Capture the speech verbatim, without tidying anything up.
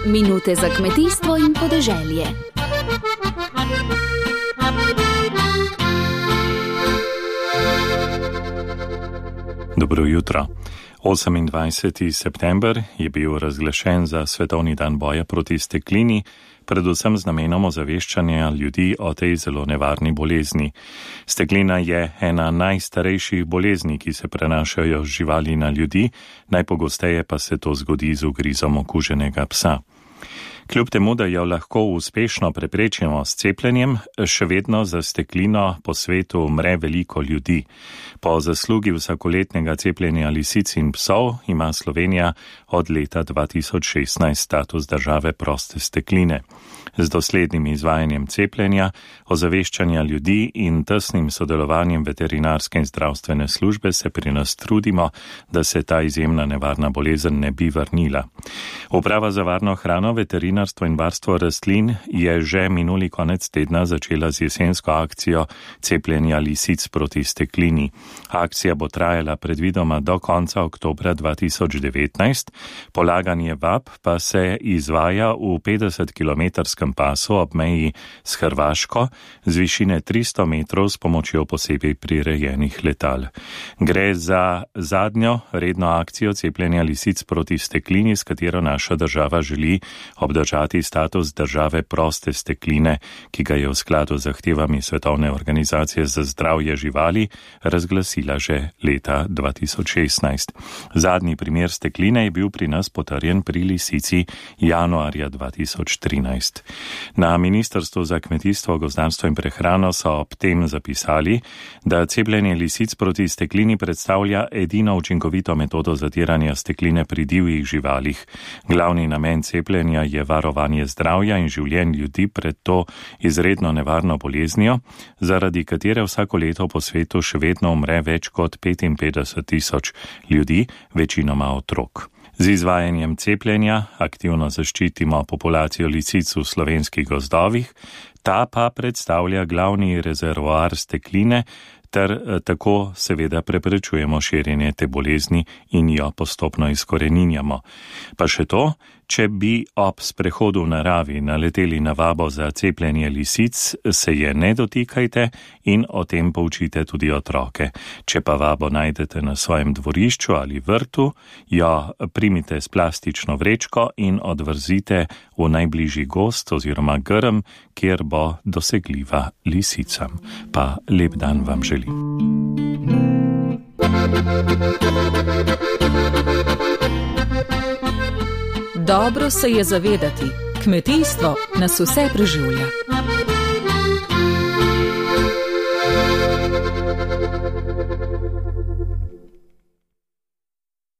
Minute za kmetijstvo in podeželje. Dobro jutro. osemindvajseti september je bil razglašen za svetovni dan boja proti steklini, predvsem z namenom ozaveščanja ljudi o tej zelo nevarni bolezni. Steklina je ena najstarejših bolezni, ki se prenašajo z živali na ljudi, najpogosteje pa se to zgodi z ugrizom okuženega psa. Kljub temu, da jo lahko uspešno preprečimo s cepljenjem, še vedno za steklino po svetu umre veliko ljudi. Po zaslugi vsakoletnega cepljenja lisic in psov ima Slovenija od leta dva tisoč šestnajst status države proste stekline. Z doslednim izvajanjem cepljenja, ozaveščanja ljudi in tesnim sodelovanjem veterinarske in zdravstvene službe se pri nas trudimo, da se ta izjemna nevarna bolezen ne bi vrnila. Uprava za varno hrano, veterinarstvo in varstvo rastlin je že minuli konec tedna začela z jesensko akcijo cepljenja lisic proti steklini. Akcija bo trajala predvidoma do konca oktobra dva tisoč devetnajst, polaganje vab pa se izvaja v petdesetkilometrskem pasu ob meji s Hrvaško z višine tristo metrov s pomočjo posebej prirejenih letal. Gre za zadnjo redno akcijo cepljenja lisic proti steklini, s katero naša država želi obdržati status države proste stekline, ki ga je v skladu z zahtevami Svetovne organizacije za zdravje živali razglasila že leta dva tisoč šestnajst. Zadnji primer stekline je bil pri nas potrjen pri lisici januarja dva tisoč trinajst. Na Ministrstvu za kmetijstvo, gozdarstvo in prehrano so ob tem zapisali, da cepljenje lisic proti steklini predstavlja edino učinkovito metodo zatiranja stekline pri divjih živalih. Glavni namen cepljenja je varovanje zdravja in življenj ljudi pred to izredno nevarno boleznijo, zaradi katere vsako leto po svetu še vedno umre več kot petinpetdeset tisoč ljudi, večinoma otrok. Z izvajanjem cepljenja aktivno zaščitimo populacijo lisic v slovenskih gozdovih, ta pa predstavlja glavni rezervoar stekline, ter tako seveda preprečujemo širjenje te bolezni in jo postopno izkoreninjamo. Pa še to, če bi ob sprehodu v naravi naleteli na vabo za cepljenje lisic, se je ne dotikajte in o tem poučite tudi otroke. Če pa vabo najdete na svojem dvorišču ali vrtu, jo primite s plastično vrečko in odvrzite v najbližji gozd oziroma grm, kjer bo dosegljiva lisicam. Pa lep dan vam želim. Dobro se je zavedati, kmetijstvo nas vse preživlja.